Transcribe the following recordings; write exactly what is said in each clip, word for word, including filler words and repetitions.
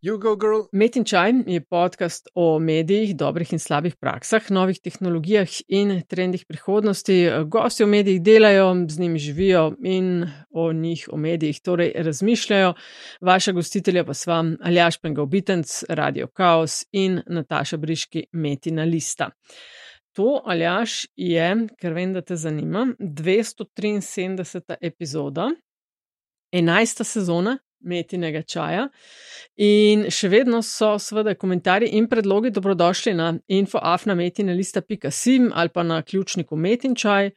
You go, girl. Met in čaj je podcast o medijih, dobrih in slabih praksah, novih tehnologijah in trendih prihodnosti. Gosti o medijih delajo, z njimi živijo in o njih, o medijih, torej razmišljajo. Vaša gostitelja pa sva Aljaž Pengal-Bitenc, Radio Kaos in Nataša Briški, Metina lista. To, Aljaž, je, ker vem, da te zanima, dvesto triinsedemdeseta epizoda, enajsta sezona Metinega čaja in še vedno so seveda komentarji in predlogi dobrodošli na info afna metina lista pika si ali pa na ključniku Metin čaj.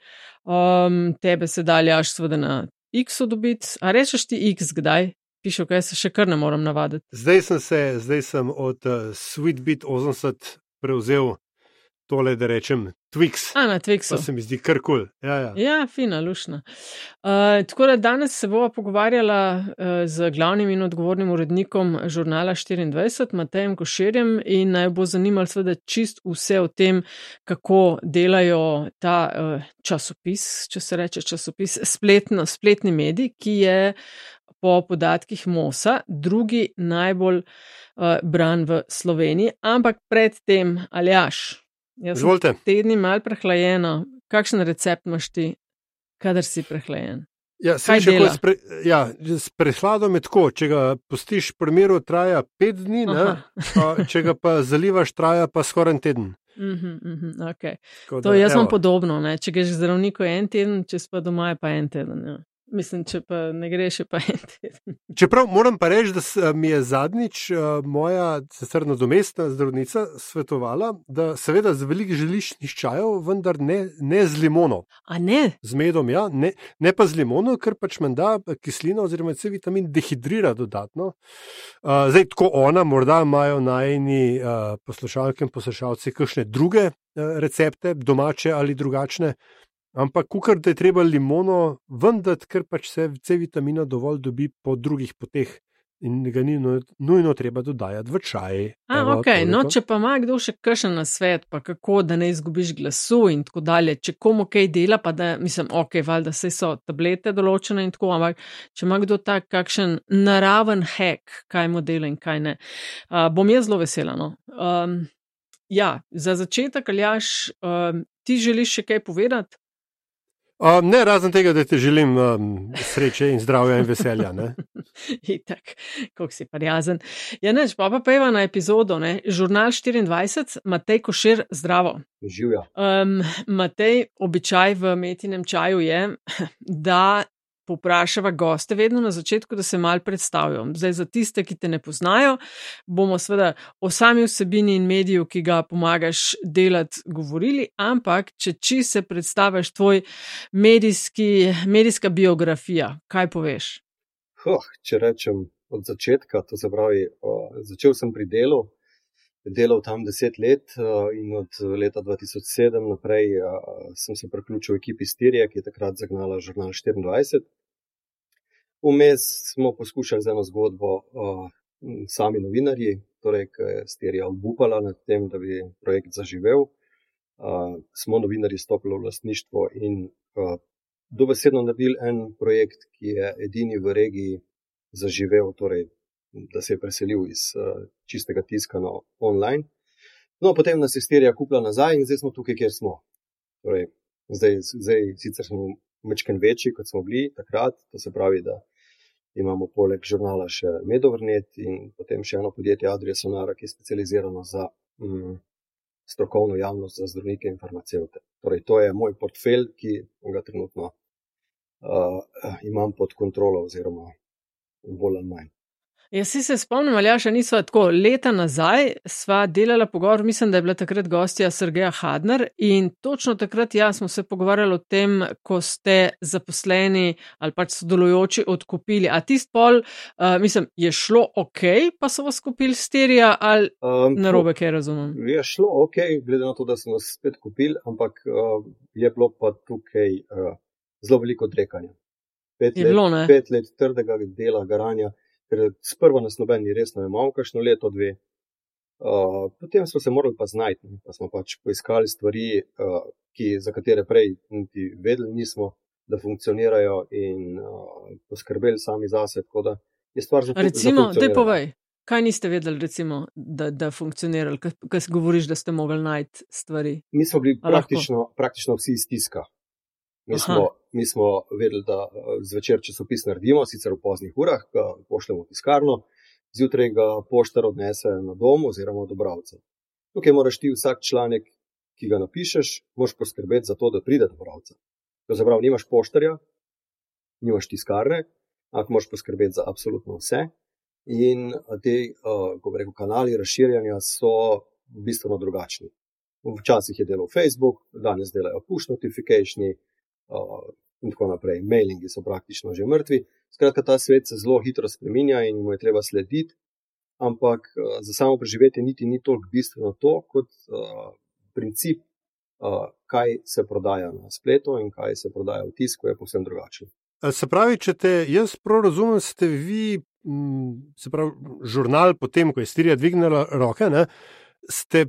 Um, tebe se da, Aljaž, seveda na X-u dobiti. A rečeš ti X kdaj? Pišel, kaj se še kar ne moram navaditi. Zdaj sem se, zdaj sem od uh, Sweetbit osemdeset prevzel tole, da rečem Twix. A, na Twixu. Pa se mi zdi kar kul. Ja, ja. Ja, fina, lušna. Uh, tako da danes se bova pogovarjala uh, z glavnim in odgovornim urednikom žurnala štiriindvajset, Matejem Koširjem, in naj bo zanimalo seveda čist vse o tem, kako delajo ta uh, časopis, če se reče časopis, spletno, spletni medij, ki je po podatkih Mosa drugi najbolj uh, bran v Sloveniji. Ampak predtem, Aljaž, jaz Izvolite. sem tedni mal prehlajena. Kakšen recept imaš ti, kadar si prehlajen? Ja, Kaj še dela? s, pre, ja, s prehladom je tako, če ga pustiš v primeru, traja pet dni, ne? A, če ga pa zalivaš, traja pa skoraj en teden. Mhm, mhm, okay. Tako To da, jaz imam evo. podobno, ne? Če greš k zdravniku je en teden, če si pa doma je pa en teden. Ja. Mislim, če pa ne greš, je pa en teden. Čeprav moram pa reči, da s- mi je zadnjič uh, moja sicer nadomestna zdravnica svetovala, da seveda z veliko želiščnih čajev, vendar ne, ne z limono. A ne? Z medom, ja, ne, ne pa z limono, ker pač menda kislina oziroma C vitamin dehidrira dodatno. Uh, zdaj, tako ona, morda imajo najni uh, poslušalke in poslušalci kakšne druge uh, recepte, domače ali drugačne, ampak kukar, da je treba limono vendati, ker pač se C vitamina dovolj dobi po drugih poteh in ga ni nu- nujno treba dodajati v čaj. A, Evo, ok, no, toliko. če pa ima kdo še kakšen nasvet, pa kako, da ne izgubiš glasu in tako dalje, če komu kaj dela, pa da, mislim, ok, valjda saj so tablete določene in tako, ampak če ima kdo tak kakšen naraven hack, kaj mu dela in kaj ne, uh, bom jaz zelo vesela, no. Um, ja, za začetek, Aljaž, um, ti želiš še kaj povedati? Um, ne, razen tega, da ti želim um, sreče in zdravja in veselja. Ne? Itak, koliko si prijazen. Ja, neč, pa pa peva na epizodo, ne, Žurnal štiriindvajset, Matej Košir, zdravo. Živja. Um, Matej, običaj v Metinem čaju je, da poprašava goste vedno na začetku, da se mal predstavijo. Zdaj za tiste, ki te ne poznajo, bomo seveda o sami vsebini in mediju, ki ga pomagaš delati, govorili, ampak če či se predstaviš tvoj medijski, medijska biografija, kaj poveš? Huh, če rečem od začetka, to se pravi, uh, začel sem pri delu, delal tam deset let uh, in od leta dva tisoč sedem naprej uh, sem se priključil ekipi Stirije, ki je takrat zagnala Žurnal štiriindvajset. Vmes smo poskušali z eno zgodbo uh, sami novinarji, torej, ki je Stirija obupala nad tem, da bi projekt zaživel. Uh, smo novinarji stopili v lastništvo in uh, dobesedno naredili en projekt, ki je edini v regiji zaživel, torej, da se je preselil iz uh, čistega tiska na online. No, potem nas je Stirija kupila nazaj in zdaj smo tukaj, kjer smo. Torej, zdaj, zdaj sicer smo mečken večji, kot smo bili takrat, to se pravi, da imamo poleg žurnala še Medovrnet in potem še eno podjetje Adria Sonara, ki je specializirano za mm, strokovno javnost, za zdravnike in farmacevte. Torej, to je moj portfelj, ki ga trenutno uh, imam pod kontrolo oziroma bolj ali manj. Jaz si se spomnim, Aljaša, nisva tako leta nazaj, sva delala pogovor, mislim, da je bila takrat gostja Sergeja Hadner in točno takrat ja, smo se pogovarjali o tem, ko ste zaposleni ali pač sodelujoči odkupili. A tist pol, uh, mislim, je šlo ok, pa so vas kupili Stirija ali Um, narobe, kaj razumem? Je šlo ok, glede na to, da so nas spet kupili, ampak uh, je bilo pa tukaj uh, zelo veliko odrekanja. Pet, Je bilo, ne? let, pet let trdega dela, garanja, ker sprva nas noben ni resno imel, kakšno leto, dve. Uh, potem smo se morali pa znajti, pa smo pač poiskali stvari, uh, ki, za katere prej niti vedeli nismo, da funkcionirajo in uh, poskrbeli sami zase, tako da je stvar za Recimo, daj povej. Kaj niste vedeli, recimo, da, da funkcionirali, kaj si govoriš, da ste mogli najti stvari? Mi smo bili praktično, praktično vsi iz tiska. Mi smo, mi smo vedeli, da zvečer časopis naredimo, sicer v poznih urah, ga pošljemo v tiskarno, zjutraj ga poštar odnese na dom oziroma do bralca. Tukaj moraš ti vsak članek, ki ga napišeš, moraš poskrbeti za to, da pride do bralca. To zaprav, nimaš poštarja, nimaš tiskarne, ampak moraš poskrbeti za absolutno vse. In te, ko bi rekel, kanali razširjanja so bistveno drugačni. Včasih je delal Facebook, danes delajo push notificationi in tako naprej. Mailingi so praktično že mrtvi. Skratka, ta svet se zelo hitro spreminja in mu je treba slediti, ampak za samo preživetje niti ni toliko bistveno to, kot princip, kaj se prodaja na spletu in kaj se prodaja v tisku, je povsem drugačen. Se pravi, če te jaz prav razumem, ste vi, se pravi, žurnal potem, ko je Stirija dvignila roke, ne, ste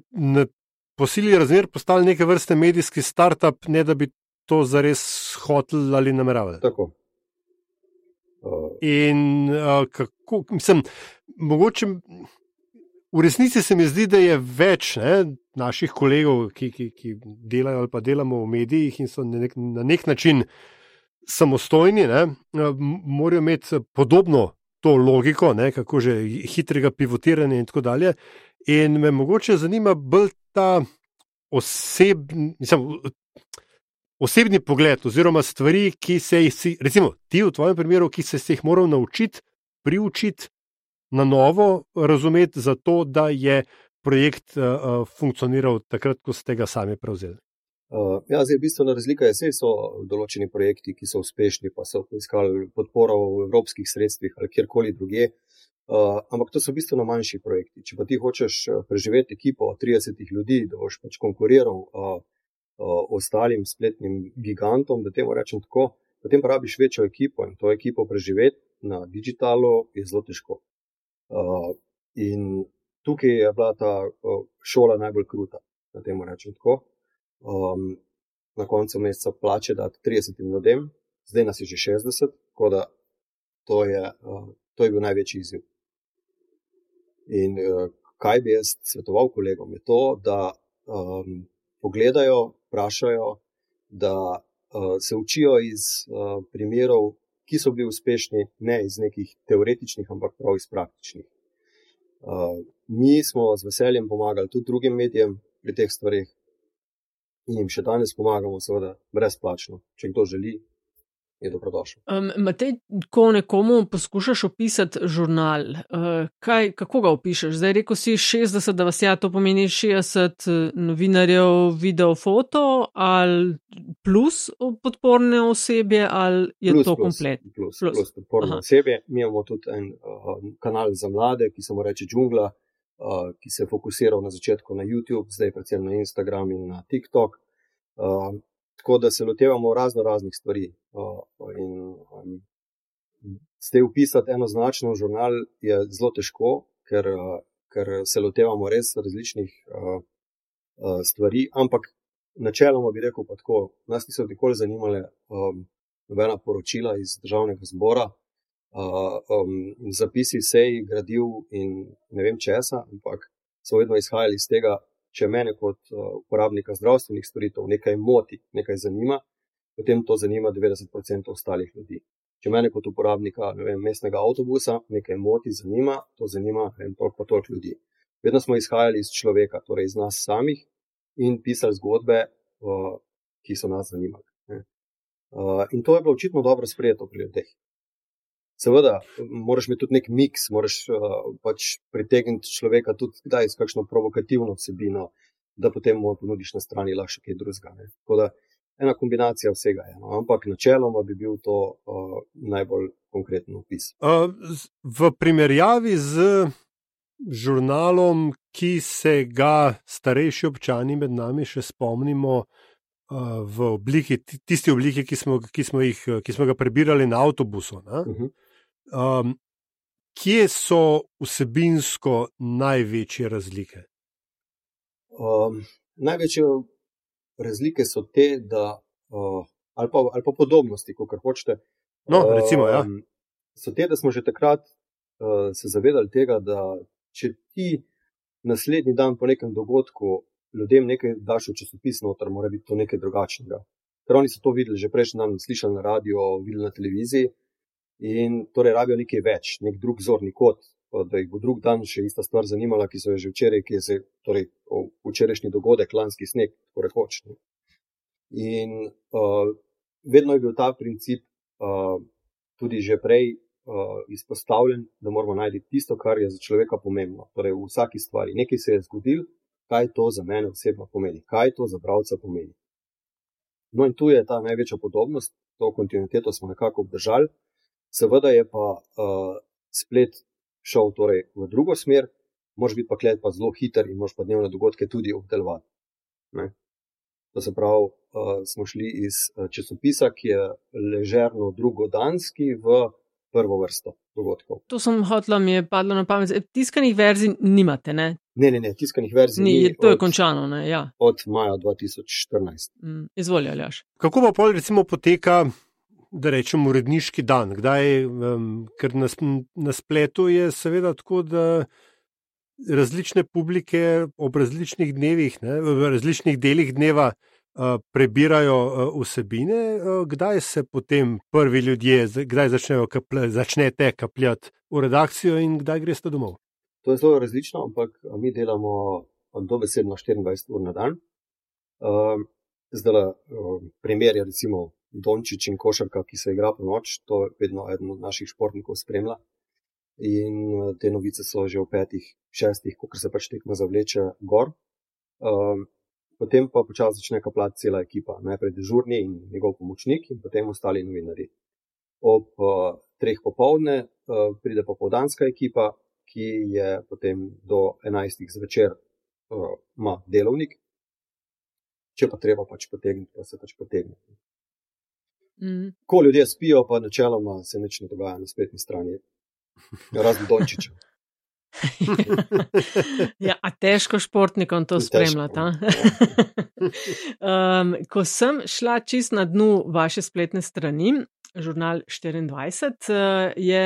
po sili razmer postali neke vrste medijski startup, ne da bi to zares hotel ali nameravali. Tako. Uh. In uh, kako, mislim, mogoče v resnici se mi zdi, da je več ne, naših kolegov, ki, ki, ki delajo ali pa delamo v medijih in so na nek, na nek način samostojni, ne, morajo imeti podobno to logiko, ne, kako že hitrega pivotiranja in tako dalje. In me mogoče zanima bolj ta osebni, mislim, osebni pogled oziroma stvari, ki se jih, recimo ti v tvojem primeru, ki se jih moral naučiti, priučiti, na novo razumeti za to, da je projekt uh, funkcioniral takrat, ko ste ga sami prevzeli. Uh, ja, zdaj bistvena razlika je, sej so določeni projekti, ki so uspešni, pa so poiskali podporo v evropskih sredstvih ali kjerkoli druge, uh, ampak to so bistveno manjši projekti. Če pa ti hočeš preživeti ekipo tridesetih ljudi, da boš pač konkuriral uh, uh, ostalim spletnim gigantom, da temu rečem tako, potem pa rabiš večjo ekipo in to ekipo preživeti na digitalu je zelo težko. Uh, in tukaj je bila ta uh, šola najbolj kruta, da temu rečem tako. Um, na koncu meseca plače dati tridesetim ljudem, zdaj nas je že šestdeset, tako da to je, uh, to je bil največji izziv. In uh, kaj bi jaz svetoval kolegom, je to, da um, pogledajo, vprašajo, da uh, se učijo iz uh, primerov, ki so bili uspešni, ne iz nekih teoretičnih, ampak prav iz praktičnih. Uh, mi smo z veseljem pomagali tudi drugim medijem pri teh stvarih, in jim še danes pomagamo, seveda, brezplačno. Če kdo želi, je dobrodošel. Um, Matej, ko nekomu poskušaš opisati žurnal, uh, kaj, kako ga opišeš? Zdaj rekel si šestdeset, da vas ja, to pomeni šestdeset novinarjev, video, foto, ali plus podporne osebje, ali je plus, to komplet? Plus, plus, plus podporne Aha. osebje. Mi imamo tudi en uh, kanal za mlade, ki se mu reče Džungla, Uh, ki se je fokusiral na začetku na YouTube, zdaj predvsem na Instagram in na TikTok. Uh, tako da se lotevamo razno raznih stvari. Uh, in um, zdaj upisati enoznačno v žurnal je zelo težko, ker, uh, ker se lotevamo res različnih uh, uh, stvari, ampak načeloma bi rekel pa tako, nas niso nikoli zanimale um, nobena poročila iz državnega zbora, Uh, um, zapisi sej, gradiv in ne vem česa, ampak so vedno izhajali iz tega, če mene kot uh, uporabnika zdravstvenih storitev nekaj moti, nekaj zanima, potem to zanima devetdeset procentov ostalih ljudi. Če mene kot uporabnika ne vem, mestnega avtobusa nekaj moti, zanima, to zanima ne vem, toliko pa toliko ljudi. Vedno smo izhajali iz človeka, torej iz nas samih in pisali zgodbe, uh, ki so nas zanimali. Uh, in to je bilo očitno dobro sprejeto pri ljudeh. Seveda, moraš imeti tudi nek miks, moraš uh, pač pritegniti človeka tudi kdaj s kakšno provokativno vsebino, da potem mu ponudiš na strani lahko kaj drugega. Tako da ena kombinacija vsega je, no? Ampak načeloma bi bil to uh, najbolj konkreten opis. Uh, v primerjavi z žurnalom, ki se ga starejši občani med nami še spomnimo uh, v obliki, tisti obliki, ki smo, ki smo, jih, ki smo ga prebirali na avtobusu, ne? Uh-huh. Um, kje so vsebinsko največje razlike? Um, največje razlike so te, da, uh, ali, pa, ali pa podobnosti, kakor hočete. No, recimo, ja. Um, so te, da smo že takrat uh, se zavedali tega, da če ti naslednji dan po nekem dogodku ljudem nekaj daš v časopis noter, mora biti to nekaj drugačnega. Ker oni so to videli že prejšnji dan, slišali na radio, videli na televiziji in torej rabijo nekaj več, nek drug zorni kot, da jih bo drug dan še ista stvar zanimala, ki so jo že včeraj, ki je se, torej včerajšnji dogodek, lanski sneg, tako rekoč. In uh, vedno je bil ta princip uh, tudi že prej uh, izpostavljen, da moramo najti tisto, kar je za človeka pomembno. Torej v vsaki stvari. Nekaj se je zgodil, kaj to za mene osebno pomeni, kaj to za bralca pomeni. No in tu je ta največja podobnost, to kontinuiteto smo nekako obdržali. Seveda je pa uh, splet šel torej v drugo smer, moraš biti pa klet pa zelo hiter in moraš pa dnevne dogodke tudi obdelovati. Ne? To se pravi, uh, smo šli iz časopisa, ki je ležerno drugodanski, v prvo vrsto dogodkov. To sem hotla, mi je padlo na pamet. Tiskanih verzij nimate, ne? Ne, ne, ne, tiskanih verzij ni. ni. To je od, končano, ne? Ja. Od maja dva tisoč štirinajst. Mm, izvoli, Aljaž. Kako pa pol recimo poteka, da rečem, uredniški dan? Kdaj, um, ker na, na spletu je seveda tako, da različne publike ob različnih dnevih, ne, v različnih delih dneva uh, prebirajo uh, vsebine. Uh, kdaj se potem prvi ljudje, kdaj začnejo kaplja, začnete kapljati v redakcijo in kdaj greste domov? To je zelo različno, ampak mi delamo dobesedno štiriindvajset ur na dan. Uh, zdaj, uh, primer je recimo Dončić in košarka, ki se igra po noč, to je vedno eden od naših športnikov spremlja. In uh, te novice so že v petih, šestih, ko se pač tekma zavleče gor. Uh, potem pa počasi začne kapljati cela ekipa. Najprej dežurni in njegov pomočnik in potem ostali novinarji. Ob uh, treh popoldne uh, pride popoldanska ekipa, ki je potem do enajstih zvečer uh, ima delovnik. Če pa treba pač potegniti, pa se pač potegne. Mm. Ko ljudje spijo, pa načeloma se nič ne dogaja na spletni strani. Razen Dončića. Ja, a težko športnikom to spremljati. um, ko sem šla čist na dnu vaše spletne strani, Žurnal štiriindvajset, je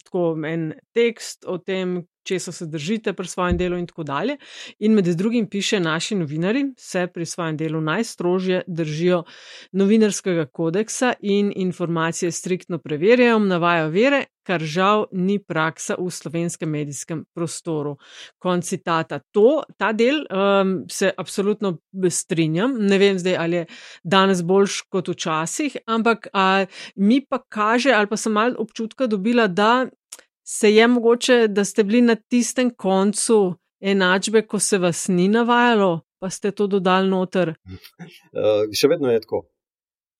tako en tekst o tem, česa se držite pri svojem delu in tako dalje. In med drugim piše, naši novinarji se pri svojem delu najstrožje držijo novinarskega kodeksa in informacije striktno preverjajo, navajajo vere, kar žal ni praksa v slovenskem medijskem prostoru. Konec citata. To, ta del um, se absolutno strinjam. Ne vem zdaj, ali je danes boljš kot včasih, ampak a, mi pa kaže, ali pa sem malo občutka dobila, da se je mogoče, da ste bili na tistem koncu enačbe, ko se vas ni navajalo, pa ste to dodali noter. Uh, še vedno je tako.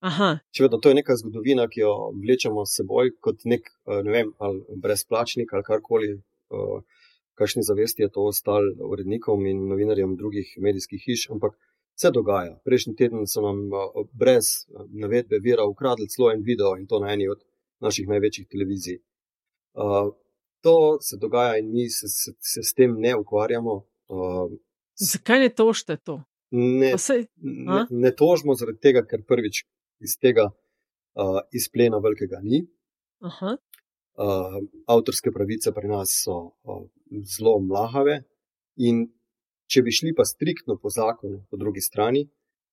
Aha. Še vedno, to je neka zgodovina, ki jo vlečemo s seboj kot nek, ne vem, ali brezplačnik ali karkoli, uh, kakšni zavesti je to ostal urednikom in novinarjem drugih medijskih hiš, ampak se dogaja. Prejšnji teden so nam uh, brez navedbe vira ukradli celo en video in to na eni od naših največjih televizij. Uh, to se dogaja in mi se, se, se s tem ne ukvarjamo. Uh, Zakaj ne tožite to? Ne, sej, ne, ne tožimo zaradi tega, ker prvič iz tega uh, izplena velikega ni. Aha. Uh, avtorske pravice pri nas so uh, zelo mlahave in če bi šli pa striktno po zakonu po drugi strani,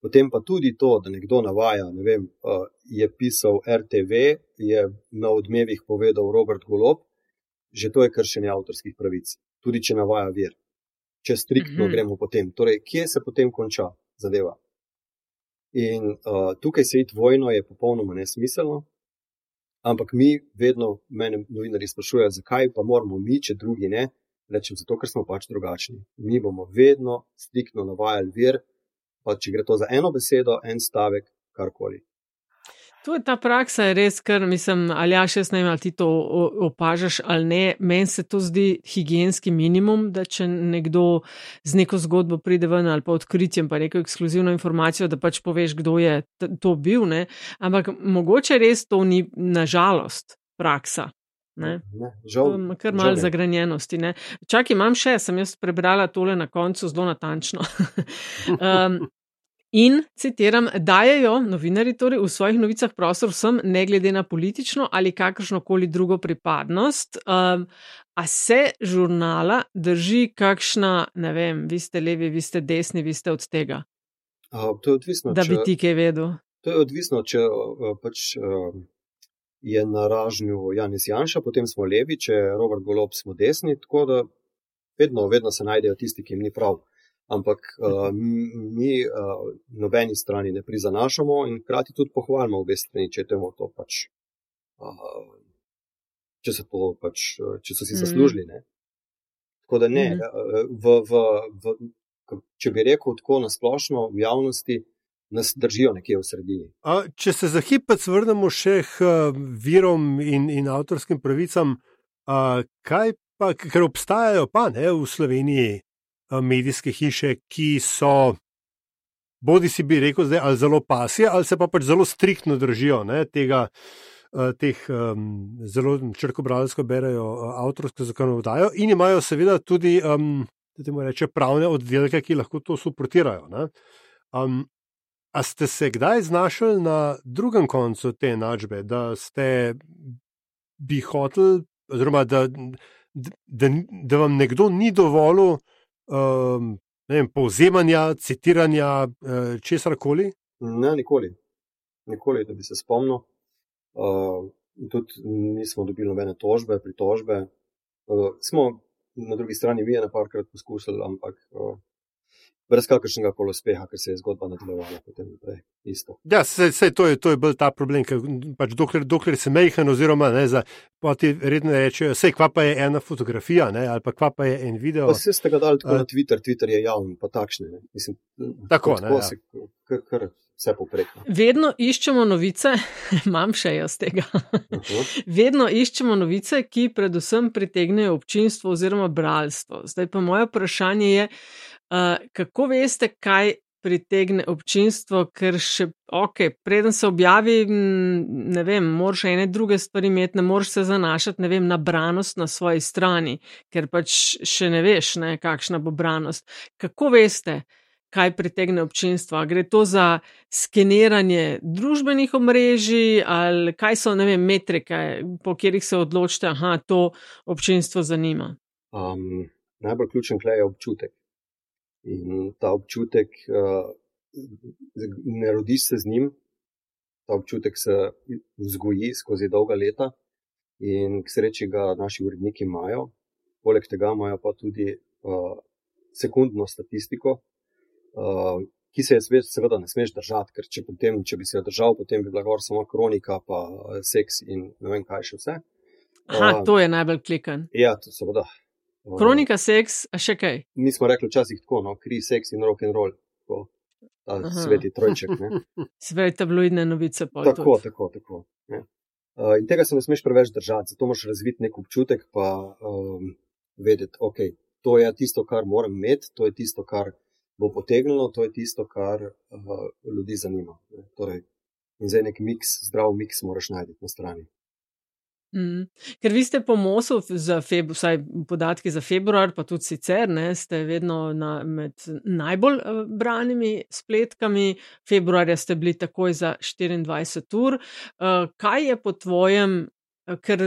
potem pa tudi to, da nekdo navaja, ne vem, uh, je pisal R T V, je na Odmevih povedal Robert Golob, že to je kršenje avtorskih pravic, tudi če navaja vir. Če striktno mm-hmm. gremo potem. Torej, kje se potem konča zadeva? In uh, tukaj se iti vojno je popolnoma nesmiselno, ampak mi vedno, mene novinarji sprašujejo, zakaj pa moramo mi, če drugi ne, rečem zato, ker smo pač drugačni. Mi bomo vedno striktno navajali vir, pa če gre to za eno besedo, en stavek, karkoli. To je ta praksa, je res, ker mislim, ali ja, še ne vem, ali ti to opažaš ali ne, meni se to zdi higienski minimum, da če nekdo z neko zgodbo pride ven ali pa odkritjem, pa neko ekskluzivno informacijo, da pač poveš, kdo je to bil, ne, ampak mogoče res to ni nažalost praksa. Ne? Ne, žal, to kar malo zagranjenosti. Ne? Čak imam še, sem jaz prebrala tole na koncu zelo natančno. um, In, citiram, dajejo novinarji torej v svojih novicah prostor vsem, ne glede na politično ali kakršnokoli drugo pripadnost. Um, a se žurnala drži kakšna, ne vem, vi ste levi, vi ste desni, vi ste od tega? Uh, to je odvisno, da bi če, ti kaj vedel. To je odvisno, če uh, pač uh, je na ražnju Janez Janša, potem smo levi, če je Robert Golob, smo desni, tako da vedno, vedno se najdejo tisti, ki jim ni prav. Ampak uh, mi uh, nobeni strani ne prizanašamo in hkrati tudi pohvalimo obe strani, če, to pač, uh, če, so, to pač, če so si zaslužili. Ne? Tako da ne, mm. v, v, v, če bi rekel tako nasplošno v javnosti, nas držijo nekje v sredini. A, če se za hipec vrnemo še k virom in, in avtorskim pravicam, a, kaj pa, ker obstajajo pa ne v Sloveniji medijske hiše, ki so, bodi si bi rekel zdaj, ali zelo pasje, ali se pa pač zelo striktno držijo ne, tega, teh um, zelo črkobralsko berejo avtorsko zakonodajo in imajo seveda tudi, um, da temu reče, pravne oddelke, ki lahko to suportirajo. Ne. Um, a ste se kdaj znašli na drugem koncu te enačbe, da ste bi hoteli, oziroma da, da, da vam nekdo ni dovolil Um, ne vem, povzemanja, citiranja, uh, česarkoli? Ne, nikoli. Nikoli, da bi se spomnil. Uh, tudi nismo dobili nobene tožbe, pritožbe. Uh, smo na drugi strani mi je naparkrat poskusili, ampak uh, brez kakršnega koli uspeha, ker se je zgodba nadaljevala potem naprej. Isto. Ja, sej, sej to je, to je bil ta problem, ker pač dokler, dokler se mejhen oziroma ne, za, poti redno rečejo, sej kva pa je ena fotografija, ne, ali pa kva pa je en video. Pa se ste ga dali tako uh, na Twitter, Twitter je javn, pa takšne, ne. Mislim, tako, ne, tako ja. se, kar, kar vse poprek. Vedno iščemo novice, imam še jaz tega, uh-huh. Vedno iščemo novice, ki predvsem pritegnejo občinstvo oziroma bralstvo. Zdaj pa moje vprašanje je, Uh, kako veste, kaj pritegne občinstvo, ker še, ok, preden se objavi, ne vem, moraš ene druge stvari imeti, ne moraš se zanašati, ne vem, na branost na svoji strani, ker pač še ne veš, ne, kakšna bo branost. Kako veste, kaj pritegne občinstvo? Gre to za skeniranje družbenih omrežij ali kaj so, ne vem, metrike, po katerih se odločite, aha, to občinstvo zanima? Um, najbolj ključen klej je občutek. In ta občutek, uh, ne rodiš se z njim, ta občutek se vzgoji skozi dolga leta in k sreči ga naši uredniki imajo. Poleg tega imajo pa tudi uh, sekundno statistiko, uh, ki se je seveda ne smeš držati, ker če, potem, če bi se jo držal, potem bi bila gor samo kronika, pa seks in ne vem kaj še vse. Aha, uh, to je najbolj klikan. Ja, to seveda. Kronika, seks, a še kaj? Mi smo rekli včasih tako, no, kri, seks in rock and roll, tako, ta Aha. sveti trojček. Ne. Sveti tabloidne novice. Tako, tako, tako. Ja. Uh, in tega se ne smeš preveč držati, zato moraš razviti nek občutek, pa um, vedeti, ok, to je tisto, kar moram imeti, to je tisto, kar bo potegnilo, to je tisto, kar uh, ljudi zanima. Ne. Torej, in zdaj nek miks, zdrav miks moraš najti na strani. Mm. Ker vi ste po MOS-u, za februar, vsaj podatki za februar, pa tudi sicer, ne, ste vedno na, med najbolj uh, branimi spletkami. Februarja ste bili takoj za štiriindvajset ur. Uh, kaj je po tvojem, uh, ker,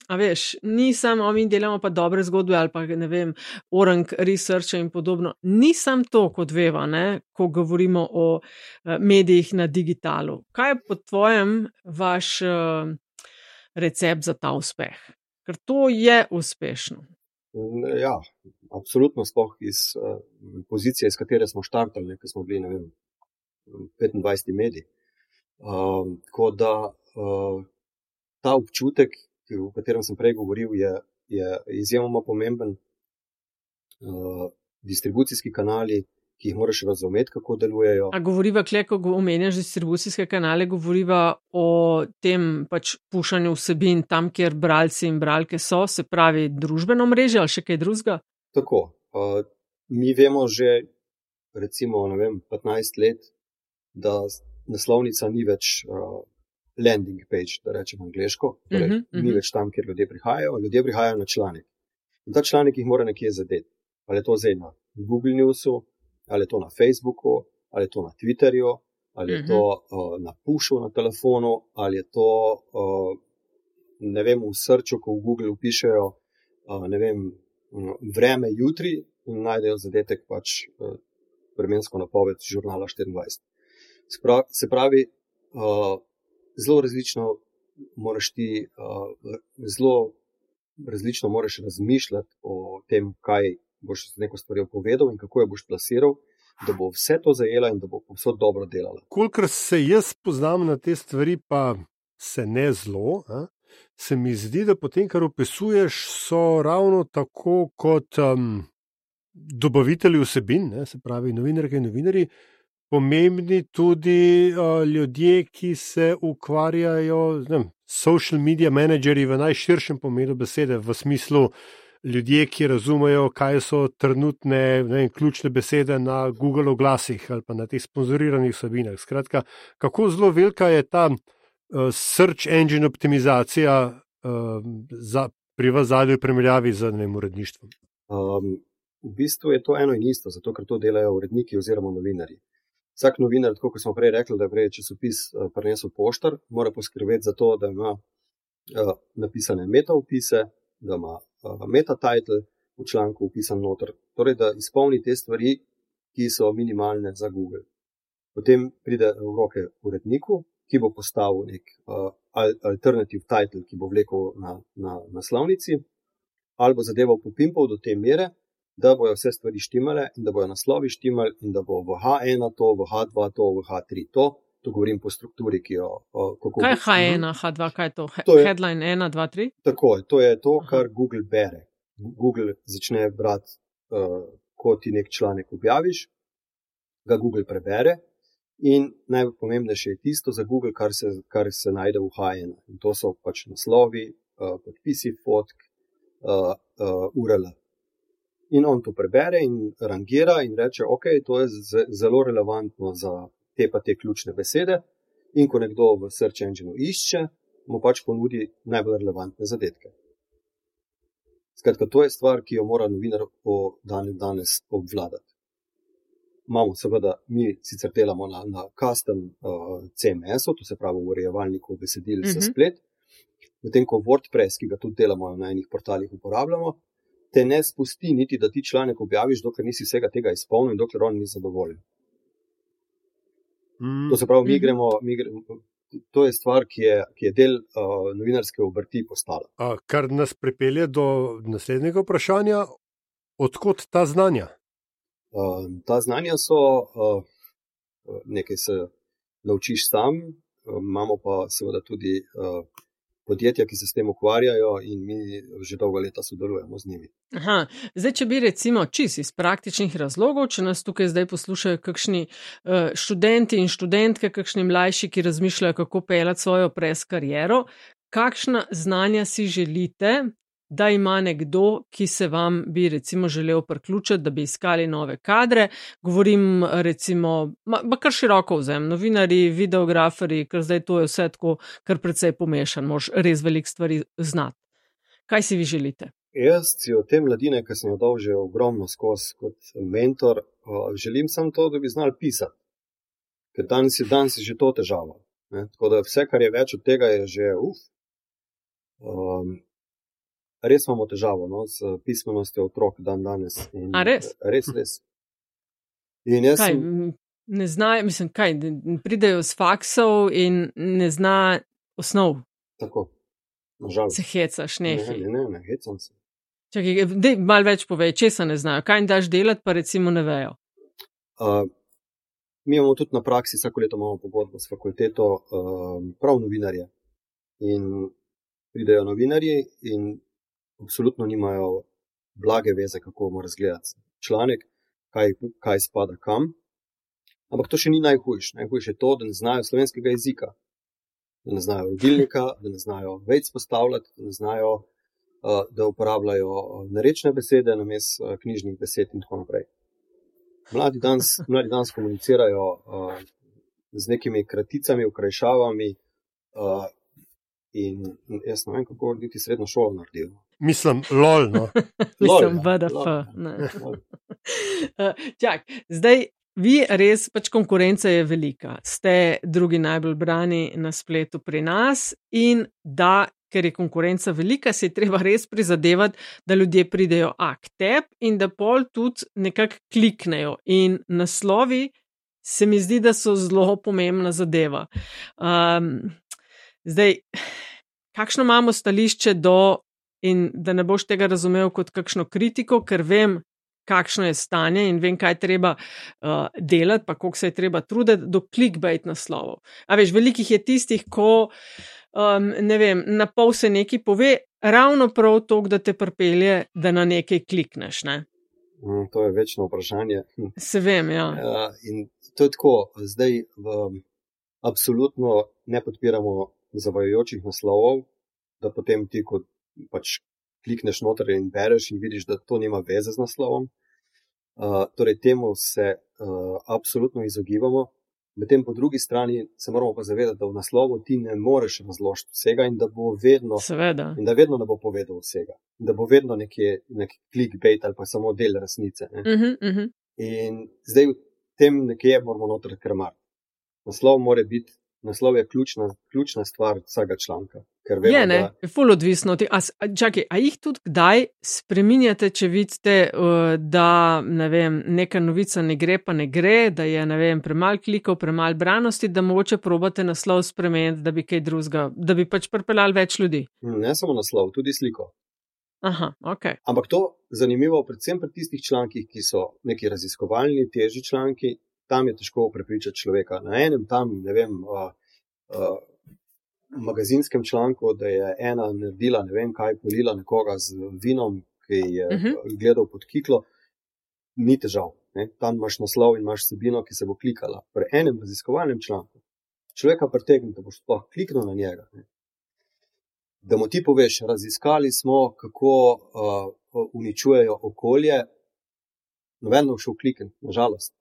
a veš, ni samo, mi delamo pa dobre zgodbe ali pa, ne vem, orang researcha in podobno. Ni sam to, kot veva, ne, ko govorimo o uh, medijih na digitalu. Kaj je po tvojem vaš uh, recept za ta uspeh? Ker to je uspešno. Ja, absolutno, sploh iz uh, pozicije, iz katere smo štartali, ker smo bili, ne vem, petindvajseti medij. Uh, tako da uh, ta občutek, o katerem sem prej govoril, je, je izjemoma pomemben. Uh, distribucijski kanali, ki jih moraš razumeti, kako delujejo. A govoriva, kle, ko omenjaš distribucijske kanale, govoriva o tem pač pušanju vsebin tam, kjer bralci in bralke so, se pravi družbeno mreže ali še kaj drugega? Tako. Uh, mi vemo že, recimo, ne vem, petnajst let, da naslovnica ni več uh, landing page, da rečem angleško, torej uh-huh, uh-huh. ni več tam, kjer ljudje prihajajo, ljudje prihajajo na članek. In ta članek jih mora nekje zadeti. Ali je to zdaj na Google Newsu, ali je to na Facebooku, ali je to na Twitterju, ali je to uh, na pushu na telefonu, ali je to, uh, ne vem, v srču, ko v Google upišejo, uh, ne vem, vreme jutri in najdejo zadetek pač uh, vremensko napoved žurnala štiriindvajset. Se pravi, uh, zelo različno moraš ti, uh, zelo različno moraš razmišljati o tem, kaj boš z neko stvarjo povedal in kako jo boš plasiral, da bo vse to zajela in da bo povsod dobro delala. Kolikor se jaz poznam na te stvari, pa se ne zelo, a? Se mi zdi, da potem, kar opisuješ, so ravno tako kot um, dobavitelji vsebin, ne? Se pravi novinarke in novinarji, pomembni tudi uh, ljudje, ki se ukvarjajo, ne vem, social media menedžerji v najširšem pomenu besede, v smislu ljudje, ki razumejo, kaj so trenutne ne vem, ključne besede na Google oglasih ali pa na teh sponzoriranih vsebinah. Skratka, kako zelo velika je ta uh, search engine optimizacija uh, za, pri vas zadnji primerjavi z ne vem, uredništvom? Um, v bistvu je to eno in isto, zato ker to delajo uredniki oziroma novinarji. Vsak novinar, tako kot smo prej rekli, da je prej časopis uh, prinesel poštar, mora poskrbeti za to, da ima uh, napisane metaopise, da ima uh, meta-title v članku upisan noter, torej da izpolni te stvari, ki so minimalne za Google. Potem pride v roke uredniku, ki bo postavil nek uh, alternative title, ki bo vlekel na, na naslovnici, ali bo zadeval popimpal do te mere, da bojo vse stvari štimale in da bojo naslovi štimali in da bo v H ena to, v H dva to, v H tri to. To govorim po strukturi, ki jo... Kako kaj je H ena, H dva, kaj je to? He- to je, headline ena, dva, tri? Tako je, to je to, kar Aha. Google bere. Google začne brati, uh, ko ti nek članek objaviš, ga Google prebere in najpomembnejše je tisto za Google, kar se, kar se najde v H ena. In to so pač naslovi, uh, podpisi, fotk, uh, uh, U R L. In on to prebere in rangira in reče, ok, to je z- zelo relevantno za te pa te ključne besede. In ko nekdo v search engineu išče, mu pač ponudi najbolj relevantne zadetke. Skratka, to je stvar, ki jo mora novinar po dan danes obvladati. Imamo seveda, mi sicer delamo na, na custom uh, C M S-u, to se pravi v urejevalniku besedil za Mhm. splet, medtem ko WordPress, ki ga tudi delamo na enih portalih uporabljamo, te ne spusti niti, da ti članek objaviš, dokler nisi vsega tega izpolnil in dokler on ni zadovoljen. Mm. To se pravi, mi Mhm. gremo, mi gremo, to je stvar, ki je, ki je del uh, novinarske obrti postala. A, kar nas pripelje do naslednjega vprašanja, odkot ta znanja? Uh, ta znanja so, uh, nekaj se naučiš sam, uh, imamo pa seveda tudi uh, podjetja, ki se s tem ukvarjajo in mi že dolgo leta sodelujemo z njimi. Aha, zdaj, če bi recimo čisto iz praktičnih razlogov, če nas tukaj zdaj poslušajo kakšni uh, študenti in študentke, kakšni mlajši, ki razmišljajo, kako peljati svojo pres kariero, kakšna znanja si želite, da ima nekdo, ki se vam bi recimo želel priključiti, da bi iskali nove kadre. Govorim recimo, ma, ma kar široko vzem, novinarji, videograferji, ker zdaj to je vse tako kar precej pomešan, moraš res veliko stvari znati. Kaj si vi želite? Jaz si od te mladine, ki sem jo dal že ogromno skozi kot mentor, uh, želim samo to, da bi znali pisati. Ker danes je, danes je že to težava. Ne? Tako da vse, kar je več od tega, je že uf. Um, res imamo težavo no, s pismenostjo otrok dan danes. In, A res? Res, res. In jaz Kaj, sem, m, ne znajo, mislim, kaj, n- pridejo s faksov in ne zna osnov, tako, nažalost. se hecaš, Ne, nehi. ne, ne, ne, hecam se. Čakaj, dej malo več povej, česa ne znajo, kaj jim daš delati, pa recimo ne vejo. Uh, mi imamo tudi na praksi, vsako leto imamo pogodbo s fakulteto, uh, prav novinarje. In pridejo novinarji in absolutno nimajo blage veze, kako mora izgledati članek, kaj, kaj spada kam. Ampak to še ni najhujše. Najhujše je to, da ne znajo slovenskega jezika, da ne znajo rodilnika, da ne znajo vejic postavljati, da ne znajo, uh, da uporabljajo uh, narečne besede namesto uh, knjižnih besed in tako naprej. Mladi danes, mladi danes komunicirajo uh, z nekimi kraticami, okrajšavami uh, in jaz ne vem, kako niti srednjo šolo naredijo. Mislim, lol, no. Mislim, Lol, V D F. lol. Ne. Lol. Uh, Čak, zdaj vi res, pač konkurenca je velika. Ste drugi najbolj brani na spletu pri nas in da, ker je konkurenca velika, se je treba res prizadevati, da ljudje pridejo a k tebi in da pol tudi nekako kliknejo. In naslovi se mi zdi, da so zelo pomembna zadeva. Um, zdaj, kakšno imamo stališče do, in da ne boš tega razumel kot kakšno kritiko, ker vem, kakšno je stanje in vem, kaj treba uh, delati, pa koliko se je treba truditi do clickbait naslovov. A veš, velikih je tistih, ko, um, ne vem, na pol se nekaj pove, ravno prav to, da te pripelje, da na nekaj klikneš, ne? Mm, to je večno vprašanje. Se vem, ja. Ja, in to je tako, zdaj v, absolutno ne podpiramo zavajajočih naslovov, da potem ti, ko pač klikneš noter in bereš in vidiš, da to nima veze z naslovom. Uh, torej, temu se uh, absolutno izogibamo. Medtem po drugi strani se moramo pa zavedati, da v naslovu ti ne moreš razložiti vsega in da bo vedno, Seveda. in da vedno ne bo povedal vsega. Da bo vedno nekje, nek clickbait ali pa samo del resnice. Ne? Uh-huh, uh-huh. In zdaj v tem nekje moramo noter krmariti. Naslov mora biti, naslov je ključna, ključna stvar vsega članka. Ker vemo, je, ne, da... je ful odvisno. A, a, čakaj, a jih tudi kdaj spreminjate, če vidite, uh, da ne vem, neka novica ne gre, pa ne gre, da je ne vem, premalo klikov, premalo branosti, da mogoče probate naslov spremeniti, da bi kaj drugega, da bi pač pripeljali več ljudi? Ne samo naslov, tudi sliko. Aha, ok. Ampak to zanimivo, predvsem pri tistih člankih, ki so neki raziskovalni, težji članki, tam je težko prepričati človeka. Na enem tam, ne vem, uh, uh, magazinskem članku, da je ena naredila, ne vem kaj, polila nekoga z vinom, ki je uh-huh. gledal pod kiklo, ni težav. Ne? Tam imaš naslov in imaš vsebino, ki se bo klikala. Pri enem raziskovalnem članku človeka pritegne, da boš sploh kliknil na njega. Ne? Da mu ti poveš, raziskali smo, kako uh, uničujejo okolje, noben bo šel klikniti, nažalost.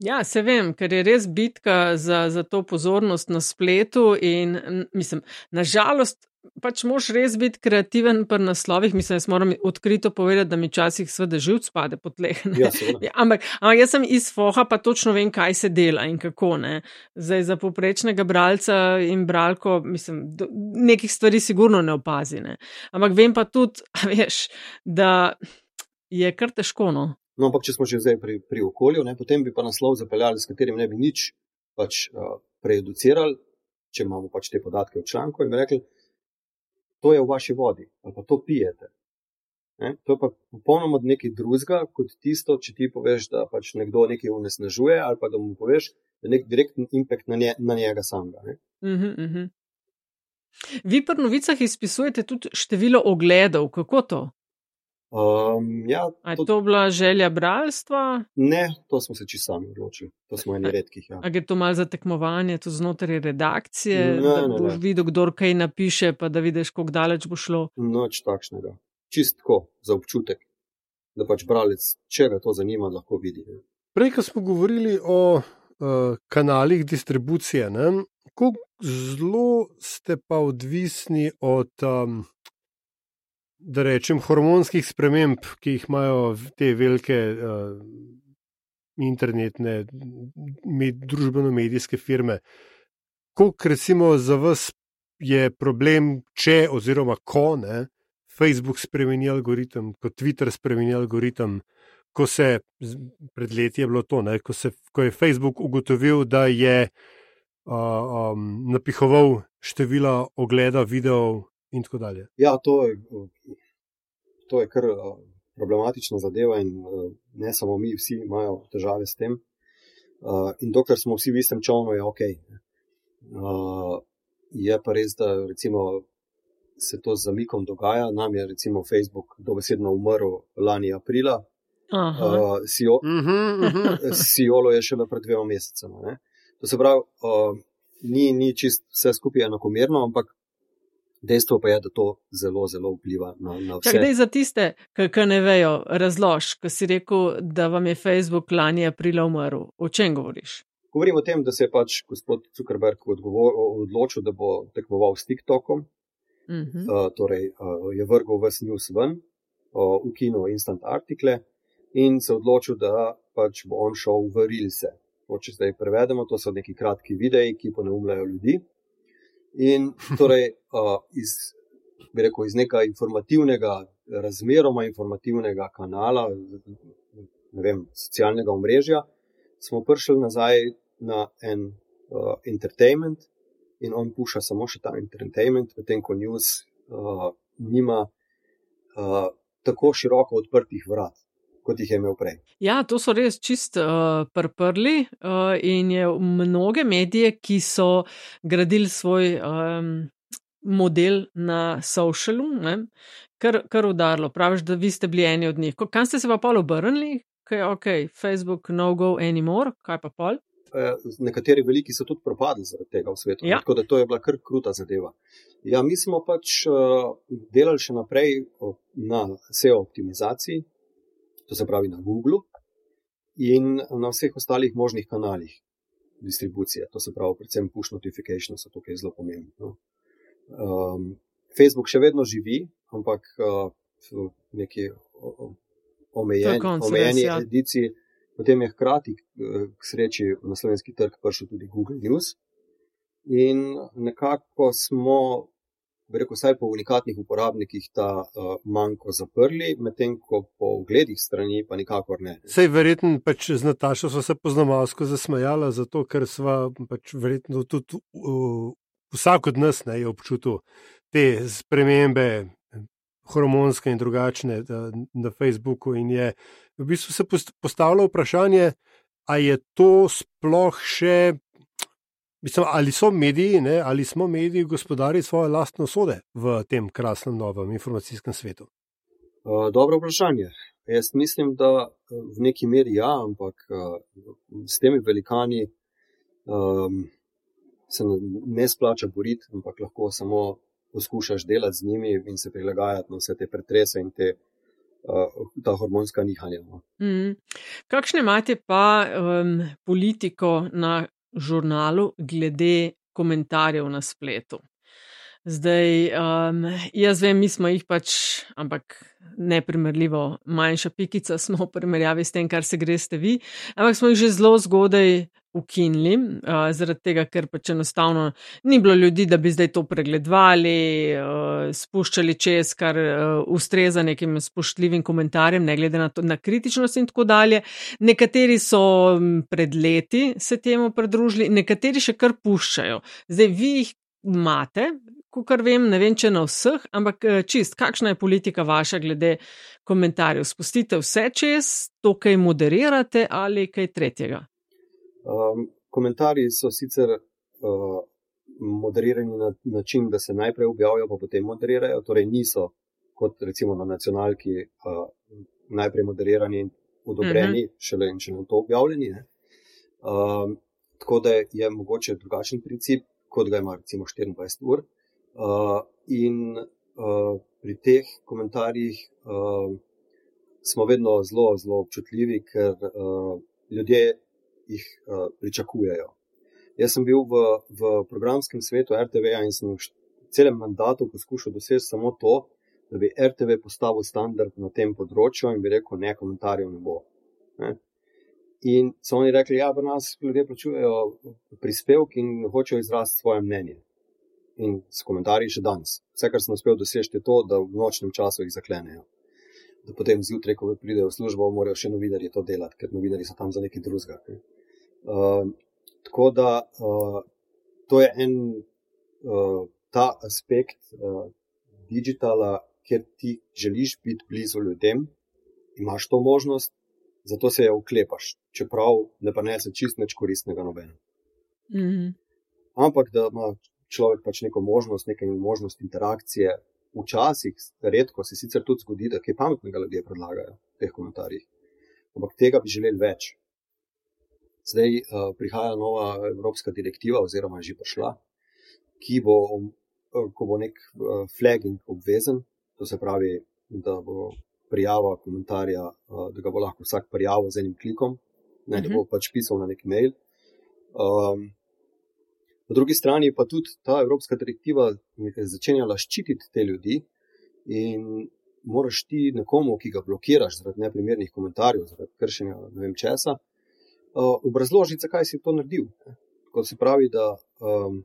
Ja, se vem, ker je res bitka za, za to pozornost na spletu in mislim, nažalost, pač moš res biti kreativen pri naslovih, mislim, jaz moram odkrito povedati, da mi časih sveda živc pade po tleh. Ja, ja, ampak, ampak jaz sem iz foha, pa točno vem, kaj se dela in kako, ne. Zdaj, za povprečnega bralca in bralko, mislim, do, nekih stvari sigurno ne opazi, ne. Ampak vem pa tudi, veš, da je kar težko, no. No, ampak če smo že zdaj pri, pri okolju, ne, potem bi pa naslov zapeljali, s katerim ne bi nič pač uh, prejuducirali, če imamo pač te podatke v članku in bi rekli, to je v vaši vodi, ali pa to pijete. Ne? To je pa popolnoma nekaj drugega, kot tisto, če ti poveš, da pač nekdo nekaj onesnažuje, ali pa da mu poveš, da nek direktni impact na, nje, na njega samega. Ne? Uh-huh, uh-huh. Vi pri novicah izpisujete tudi število ogledov, kako to? Um, ja, A je to... to bila želja bralstva? Ne, to smo se čisto sami odločili. To smo eni redkih. Ja. A gre to malo za tekmovanje, to znotraj redakcije, ne, da ne, boš ne. videl, kdor kaj napiše, pa da vidiš, koliko daleč bo šlo? Noč takšnega. Čist tako, za občutek, da pač bralec, če ga to zanima, lahko vidi. Ne. Prej, ko smo govorili o uh, kanalih distribucije, ne, kako zelo ste pa odvisni od... Um, da rečem, hormonskih sprememb, ki jih imajo te velike uh, internetne, med, družbeno-medijske firme. Koliko recimo za vas je problem, če oziroma ko ne, Facebook spremeni algoritem, ko Twitter spremeni algoritem, ko se, pred leti je bilo to, ne, ko, se, ko je Facebook ugotovil, da je uh, um, napihoval števila ogleda videov in tako dalje. Ja, to je, to je kar problematična zadeva in ne samo mi, vsi imajo težave s tem. In dokler smo vsi v istem čovnu, je ok. Je pa res, da recimo se to z zamikom dogaja. Nam je recimo Facebook dobesedno umrl lani aprila. Uh, Sio, uh-huh, uh-huh. Siolo je šele pred dvema mesecema. Ne? To se pravi, uh, ni, ni čist vse skupaj enakomerno, ampak dejstvo pa je, da to zelo, zelo vpliva na, na vse. Čak, dej za tiste, ki ne vejo, razlož, ko si rekel, da vam je Facebook lani aprila umrl. O čem govoriš? Govorim o tem, da se je pač gospod Zuckerberg odgovor, odločil, da bo tekmoval s TikTokom. Uh-huh. Uh, torej, uh, je vrgel ves news ven, uh, ukinil instant artikle in se odločil, da pač bo on šel v Reelse. To, če zdaj prevedemo, to so neki kratki videi, ki poneumljajo ljudi. In torej uh, iz, bi rekel, iz nekega informativnega, razmeroma informativnega kanala, ne vem, socialnega omrežja, smo prišli nazaj na en uh, entertainment in on puša samo še ta entertainment, medtem ko news uh, nima uh, tako široko odprtih vrat, kot jih je imel prej. Ja, to so res čist uh, prprli uh, in je mnoge medije, ki so gradili svoj um, model na socialu, ne, kar, kar udarilo. Praviš, da vi ste bili eni od njih. Kam ste se pa pol obrnili? Okay, ok, Facebook no go anymore, kaj pa pol? Nekateri veliki so tudi propadli zaradi tega v svetu, ja. Tako da to je bila kar kruta zadeva. Ja, mi smo pač uh, delali še naprej na S E O optimizaciji, to se pravi na Google in na vseh ostalih možnih kanalih distribucije, to se pravi predvsem push notification so tukaj zelo pomembni. No. Um, Facebook še vedno živi, ampak uh, v neki omejeni, omejeni ja. ediciji. Potem je hkrati k sreči na slovenski trg prišel tudi Google News in nekako smo, bi rekel, vsaj po unikatnih uporabnikih ta uh, manjko zaprli, medtem ko po ogledih strani pa nikakor ne. Sej verjetno pač z Natašo sva se poznamalsko zasmejala, zato ker sva pač verjetno tudi uh, vsak od nas ne je občutil te spremembe hormonske in drugačne na Facebooku in je v bistvu se postavilo vprašanje, a je to sploh še, mislim, ali so mediji, ne, ali smo mediji gospodari svoje lastne usode v tem krasnem novem informacijskem svetu? Uh, dobro vprašanje. Jaz mislim, da v neki meri ja, ampak uh, s temi velikani um, se ne splača boriti, ampak lahko samo poskušaš delati z njimi in se prilagajati na vse te pretrese in te, uh, ta hormonska nihanja. No. Mm. Kakšne imate pa um, politiko na žurnalu glede komentarjev na spletu? Zdaj, um, jaz vem, mi smo jih pač, ampak neprimerljivo manjša pikica smo v primerjavi s tem, kar se greste vi, ampak smo jih že zelo zgodaj ukinili, uh, zaradi tega, ker pač enostavno ni bilo ljudi, da bi zdaj to pregledovali, uh, spuščali čez, kar uh, ustreza nekim spoštljivim komentarjem, ne glede na, to, na kritičnost in tako dalje. Nekateri so pred leti se temu pridružili, nekateri še kar puščajo. Zdaj, vi jih imate, kakor vem, ne vem, če na vseh, ampak čist, kakšna je politika vaša glede komentarjev? Spustite vse čez, to kaj moderirate ali kaj tretjega? Um, komentarji so sicer uh, moderirani na način, da se najprej objavijo, pa potem moderirajo, torej niso kot recimo na nacionalki uh, najprej moderirani in odobreni, uh-huh. šele in šele to objavljeni. Um, tako da je mogoče drugačen princip, kot ga ima recimo štiriindvajset ur. Uh, in uh, pri teh komentarjih uh, smo vedno zelo, zelo občutljivi, ker uh, ljudje jih uh, pričakujejo. Jaz sem bil v, v programskem svetu R T V-ja in sem v celem mandatu poskušal doseči samo to, da bi R T V postavil standard na tem področju in bi rekel, ne, komentarjev ne bo. Ne? In so oni rekli, ja, pri nas ljudje plačujejo prispevki in hočejo izraziti svoje mnenje. In s komentarji še danes. Vse, kar sem uspel doseči, je to, da v nočnem času jih zaklenejo. Da potem zjutraj, ko pridejo v službo, morajo še novinarji to delati, ker novinarji so tam za nekaj drugega. Uh, tako da uh, to je en uh, ta aspekt uh, digitala, kjer ti želiš biti blizu ljudem, imaš to možnost, zato se je uklepaš, čeprav ne prinese čist nič koristnega nobeno. Mm-hmm. Ampak da ima človek pač neko možnost, nekaj možnost interakcije, včasih, redko se sicer tudi zgodi, da kaj pametnega ljudje predlagajo v teh komentarjih. Ampak tega bi želeli več. Zdaj uh, prihaja nova evropska direktiva, oziroma že prišla, ki bo, uh, ko bo nek uh, flagging obvezen, to se pravi, da bo prijava komentarja, uh, da ga bo lahko vsak prijavil z enim klikom, ne, uh-huh. da bo pač pisal na nek mail. Um, Po drugi strani pa tudi ta evropska direktiva začenjala ščititi te ljudi in moraš ti nekomu, ki ga blokiraš zaradi neprimernih komentarjev, zaradi kršenja ne vem česa, uh, obrazložiti, zakaj si to naredil. Kot se pravi, da um,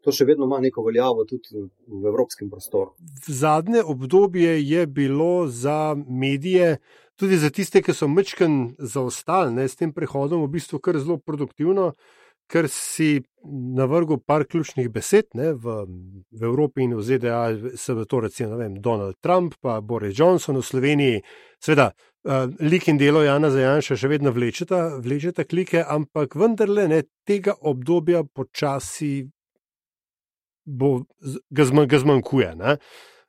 to še vedno ima neko veljavo tudi v evropskem prostoru. V zadnje obdobje je bilo za medije, tudi za tiste, ki so mečken zaostali, ne, s tem prehodom v bistvu kar zelo produktivno, ker si navrgel par ključnih besed, ne, v, v Evropi in v Z D A se v to recimo, ne vem, Donald Trump pa Boris Johnson, v Sloveniji, seveda, uh, lik in delo Jana Zajanša še vedno vlečeta, vlečeta klike, ampak vendarle ne, tega obdobja počasi bo, ga, zman, ga zmanjkuje, ne.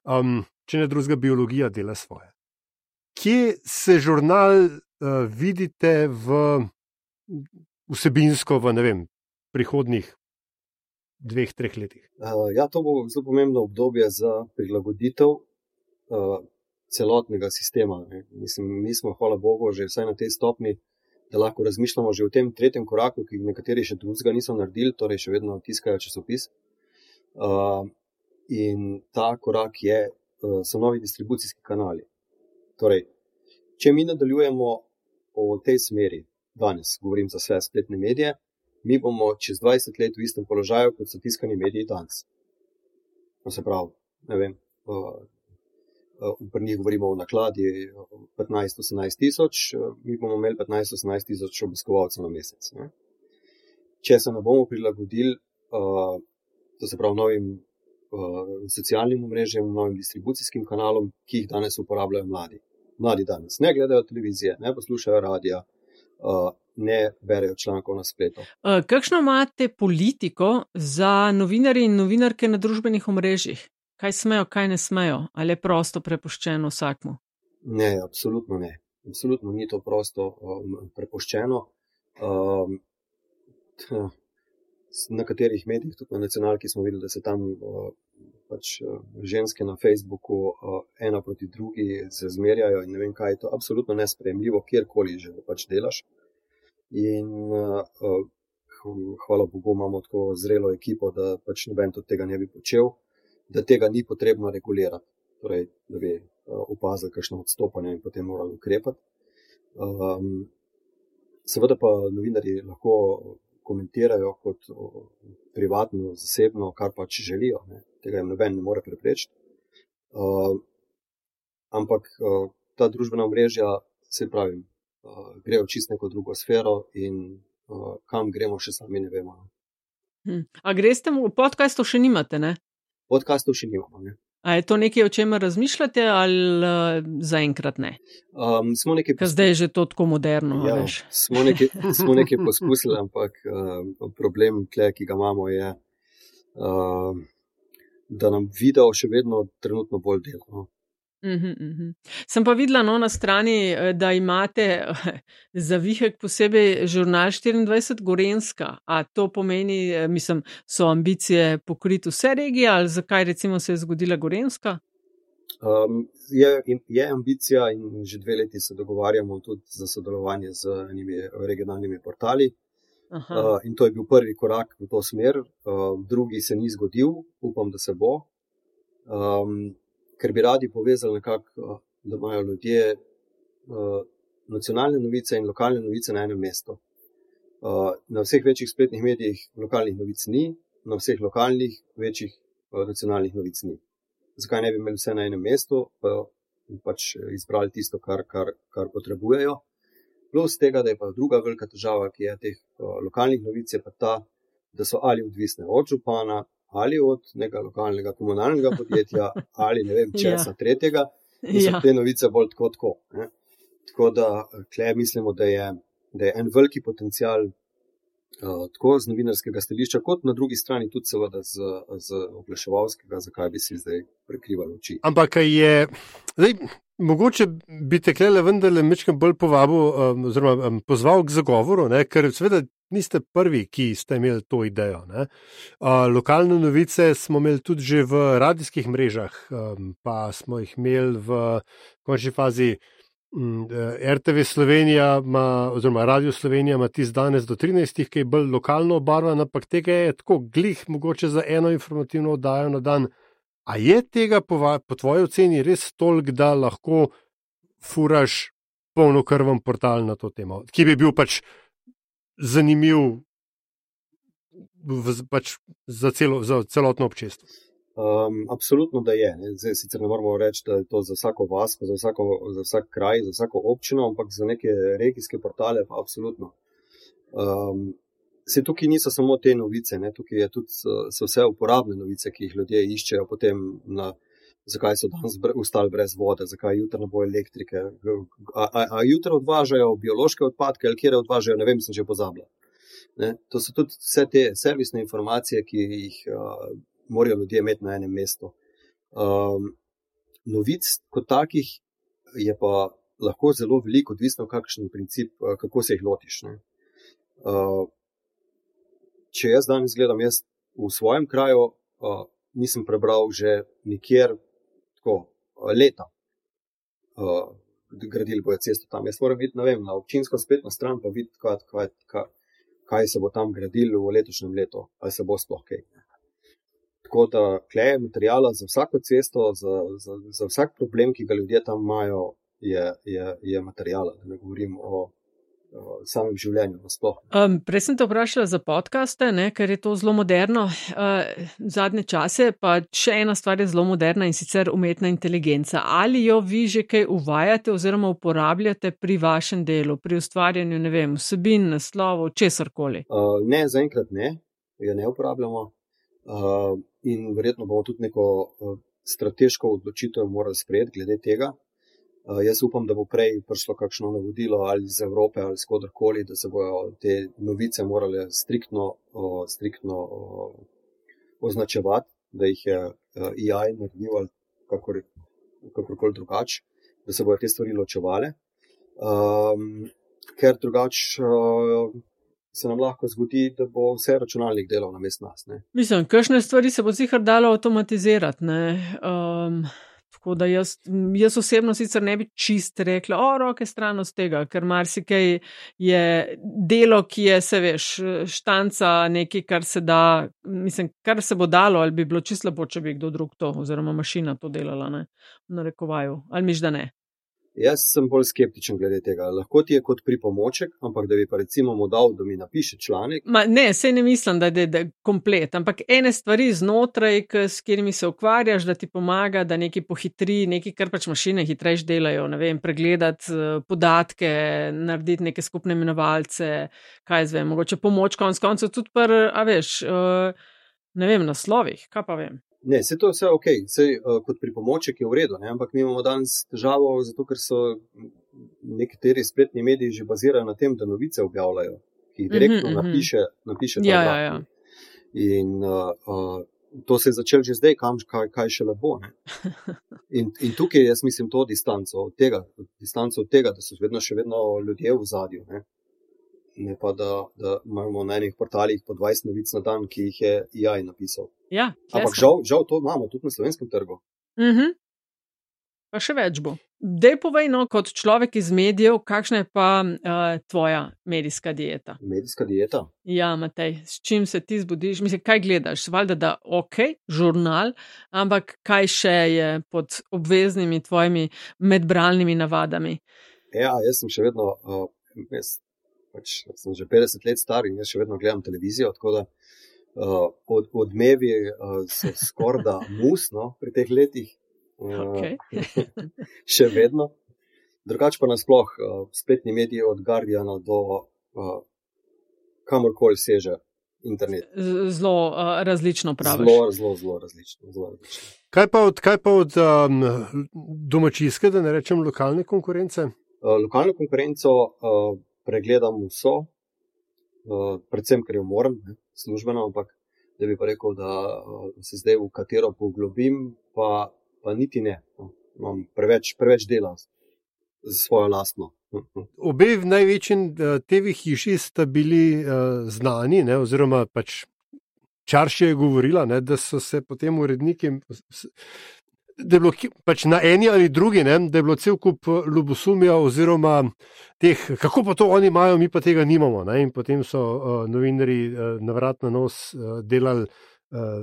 Um, če ne drugega, biologija dela svoje. Kje se žurnal uh, vidite v vsebinsko v, ne vem, prihodnih dveh, treh letih? Uh, ja, to bo zelo pomembno obdobje za prilagoditev uh, celotnega sistema. Ne. Mislim, mi smo, hvala Bogu, že vsaj na tej stopni, da lahko razmišljamo že v tem tretjem koraku, ki nekateri še drugega niso naredili, torej še vedno tiskajo časopis. Uh, in ta korak je, uh, so novi distribucijski kanali. Torej, če mi nadaljujemo v tej smeri, danes govorim za vse spletne medije, mi bomo čez dvajset let v istem položaju, kot so tiskani mediji danes. No, se pravi, ne vem, uh, uh, pri njih govorimo o nakladi petnajst do osemnajst tisoč, uh, mi bomo imeli petnajst do osemnajst tisoč obiskovalcev na mesec. Ne? Če se ne bomo prilagodili, uh, to se pravi novim uh, socialnim omrežjem, novim distribucijskim kanalom, ki jih danes uporabljajo mladi. Mladi danes ne gledajo televizije, ne poslušajo radija, uh, ne berejo člankov na spletu. Uh, kakšno imate politiko za novinarje in novinarke na družbenih omrežjih? Kaj smejo, kaj ne smejo? Ali je prosto prepuščeno vsakmu? Ne, absolutno ne. Absolutno ni to prosto um, prepuščeno. Um, na katerih medijih, tudi na nacionalki, smo videli, da se tam uh, pač uh, ženske na Facebooku uh, ena proti drugi se zmerjajo in ne vem kaj, je to absolutno nesprejemljivo, kjerkoli že pač delaš. In uh, uh, hvala Bogu, imamo tako zrelo ekipo, da pač noben tudi tega ne bi počel, da tega ni potrebno regulirati, torej, da bi uh, opazili kakšno odstopanje in potem morali ukrepati. Um, seveda pa novinarji lahko komentirajo kot privatno, zasebno, kar pač želijo. Ne. Tega jim noben ne more preprečiti. Uh, ampak uh, ta družbena omrežja, se pravim, uh, grejo čisto neko drugo sfero in uh, kam gremo, še sami ne vemo. Hm. A greste v podcastu še nimate, ne? Podcastov še nimamo, ne. A je to nekaj, o čemer razmišljate, ali uh, zaenkrat ne? Um, smo nekaj Ker zdaj je že to tako moderno, ja, veš. Smo nekaj, smo nekaj poskusili, ampak uh, problem, tle, ki ga imamo, je, uh, da nam video še vedno trenutno bolj dela. No. Uhum, uhum. Sem pa videla no, na strani, da imate za Vihek posebej žurnal štiriindvajset Gorenjska. A to pomeni, mislim, so ambicije pokriti vse regije ali zakaj recimo se je zgodila Gorenjska? Um, je, je ambicija in že dve leti se dogovarjamo tudi za sodelovanje z enimi regionalnimi portali. Uh, in to je bil prvi korak v to smer. Uh, drugi se ni zgodil, upam, da se bo. Um, ker bi radi povezali nekako, da imajo ljudje uh, nacionalne novice in lokalne novice na enem mestu. Uh, na vseh večjih spletnih medijih lokalnih novic ni, na vseh lokalnih večjih uh, nacionalnih novic ni. Zakaj ne bi imeli vse na enem mestu, pa pač izbrali tisto, kar, kar, kar potrebujejo. Plus tega, da je pa druga velika težava, ki je teh uh, lokalnih novic, je pa ta, da so ali odvisne od župana, ali od nekega lokalnega komunalnega podjetja, ali ne vem česa ja. tretjega, in so ja. te novice bolj tako tako. Ne? Tako da, tle mislimo, da je, da je en veliki potencial uh, tako z novinarskega stališča, kot na drugi strani tudi seveda z, z oglaševalskega, zakaj bi si zdaj prekrivali oči. Ampak je, zdaj, mogoče bi te klele vendarle mečkam bolj povabil, um, oziroma um, pozval k zagovoru, ne? Ker seveda niste prvi, ki ste imeli to idejo. Ne? Uh, lokalne novice smo imeli tudi že v radijskih mrežah, um, pa smo jih imeli v končni fazi um, R T V Slovenija, ma, oziroma Radio Slovenija ima tisti danes do trinajstih, ki je bolj lokalno obarvan, ampak tega je tako glih, mogoče za eno informativno oddajo na dan A je tega po, po tvoji oceni res toliko, da lahko furaš polnokrven portal na to temo, ki bi bil pač zanimiv v, pač za, celo, za celotno občestvo? Um, absolutno, da je. Ne. Zdaj sicer ne moramo reči, da je to za vsako vas, za, vsako, za vsak kraj, za vsako občino, ampak za neke regijske portale pa absolutno. Um, se tukaj niso samo te novice, ne. Tukaj je tudi, so vse uporabne novice, ki jih ljudje iščejo potem na, zakaj so danes ostali brez vode, zakaj jutro ne bo elektrike, a, a, a jutro odvažajo biološke odpadke ali kjer odvažajo, ne vem, sem že pozabila. Ne. To so tudi vse te servisne informacije, ki jih uh, morajo ljudje imeti na enem mestu. Um, novic kot takih je pa lahko zelo veliko, odvisno kakšen princip, kako se jih lotiš. Ne. Uh, če jaz danes gledam, jaz v svojem kraju uh, nisem prebral že nikjer tako leta. Uh, gradili bojo cesto tam. Jaz moram videti, ne vem, na občinsko spletno stran pa videti, kaj, kaj, kaj, kaj se bo tam gradilo v letošnjem letu, ali se bo sploh kaj. Tako da kleje materijala za vsako cesto, za, za, za vsak problem, ki ga ljudje tam imajo, je, je, je materijala. Da ne govorim o, o samem življenju nasploh. Um, prej sem te vprašala za podcaste, ne, ker je to zelo moderno. Uh, zadnje čase pa še ena stvar je zelo moderna, in sicer umetna inteligenca. Ali jo vi že kaj uvajate oziroma uporabljate pri vašem delu, pri ustvarjanju, ne vem, vsebin, naslovov, česarkoli? Uh, ne, zaenkrat ne, jo ne uporabljamo. Uh, in verjetno bomo tudi neko uh, strateško odločitev morali sprejeti glede tega. Uh, jaz upam, da bo prej prišlo kakšno navodilo ali iz Evrope ali z kodarkoli, da se bojo te novice morale striktno, uh, striktno uh, označevati, da jih je uh, A I naredil ali kakor, kakorkoli drugače, da se bojo te stvari ločevale. Um, ker drugače uh, se nam lahko zgodi, da bo vse računalnik delal namesto nas. Ne? Mislim, kakšne stvari se bo sicer dalo avtomatizirati. Ne? Um, tako da jaz, jaz osebno sicer ne bi čist rekla, o, roke stran od tega, ker marsikaj je delo, ki je, se veš, štanca nekaj, kar se da, mislim, kar se bo dalo, ali bi bilo čisto lepo, če bi kdo drug to, oziroma mašina to delala, ne? V narekovaju, ali miš, da ne? Jaz sem bolj skeptičen glede tega. Lahko ti je kot pripomoček, ampak da bi pa recimo mu dal, da mi napiše članek. Ma, ne, sej ne mislim, da je, da je komplet, ampak ene stvari znotraj, k, s katerimi se ukvarjaš, da ti pomaga, da nekaj pohitri, nekaj, kar pač mašine hitrejš delajo, ne vem, pregledati uh, podatke, narediti neke skupne imenovalce, kaj zvem, mogoče pomoč konc koncev tudi par, a veš, uh, ne vem, naslovih, kaj pa vem. Ne, se to je vse ok, se, uh, kot pripomoček je v redu, ne? Ampak mi imamo danes težavo, zato ker so nekateri spletni mediji že bazirajo na tem, da novice objavljajo, ki jih direktno mm-hmm, napiše, napiše ta ja, vlak. Ja, ja. In uh, uh, to se je začelo že zdaj, kam, kaj, kaj še lepo. Ne? In, in tukaj jaz mislim to distanco od tega, distanco od tega, da so vedno še vedno ljudje v zadju. Ne? Ne pa, da, da imamo na enih portalih po dvajset novic na dan, ki jih je A I napisal. Ja, ampak žal, žal to imamo tudi na slovenskem trgu. Mhm. Pa še več bo. Dej povej, no, kot človek iz medijev, kakšna je pa uh, tvoja medijska dieta? Medijska dieta? Ja, Matej, s čim se ti zbudiš? Mislim, kaj gledaš? Valjda, da ok, žurnal, ampak kaj še je pod obveznimi tvojimi medbralnimi navadami? Ja, jaz sem še vedno, uh, jaz pač sem že petdeset let star in jaz še vedno gledam televizijo, tako da uh, od, odmevi uh, so skorda musno pri teh letih. Okay. Še vedno. Drugače pa nasploh uh, spletni mediji od Guardiana do uh, kamorkoli seže internet. Zelo uh, različno praviš. Zelo, zelo, zelo različno. Zelo različno. Kaj pa od, kaj pa od um, domačijske, da ne rečem lokalne konkurence? Uh, lokalno konkurenco uh, pregledam vso, uh, predvsem, ker jo moram, ne, službeno, ampak da bi pa rekel, da uh, se zdaj v katero poglobim, pa pa niti ne. No. Imam preveč, preveč dela za svojo lastno. Obe v največji uh, T V hiši sta bili uh, znani, ne, oziroma pač Čarši je govorila, ne, da so se potem uredniki, da je bilo pač na eni ali drugi, ne, da je bilo cel kup ljubosumja oziroma teh, kako pa to oni imajo, mi pa tega nimamo. Ne, in potem so uh, novinarji uh, na vrat na nos uh, delali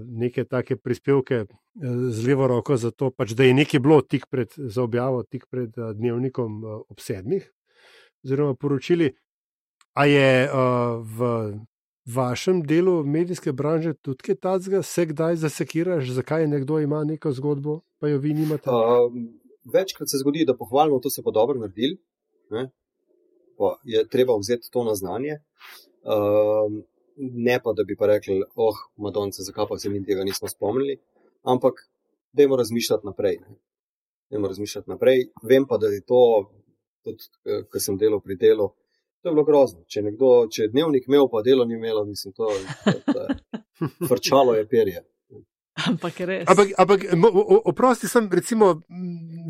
neke take prispevke z levo roko za to, pač, da je nekaj bilo tik pred, za objavo, tik pred dnevnikom ob sedmih, oziroma poročili. A je v vašem delu medijske branže tudi kaj takega, se kdaj zasekiraš, zakaj nekdo ima neko zgodbo, pa jo vi nimate? Uh, večkrat se zgodi, da pohvalimo, to se pa dobro naredili, ne? Pa je treba vzeti to na znanje, uh, ne pa, da bi pa rekli, oh, Madonce, zakaj pa se mi tega nismo spomnili, ampak dajmo razmišljati naprej. Ne? Dajmo razmišljati naprej. Vem pa, da je to, tudi, ko sem delal pri delu, to je bilo grozno. Če, nekdo, če je dnevnik imel, pa delo ni imelo, mislim, to je frčalo je perje. Ampak res. Ampak, ampak oprosti sem, recimo,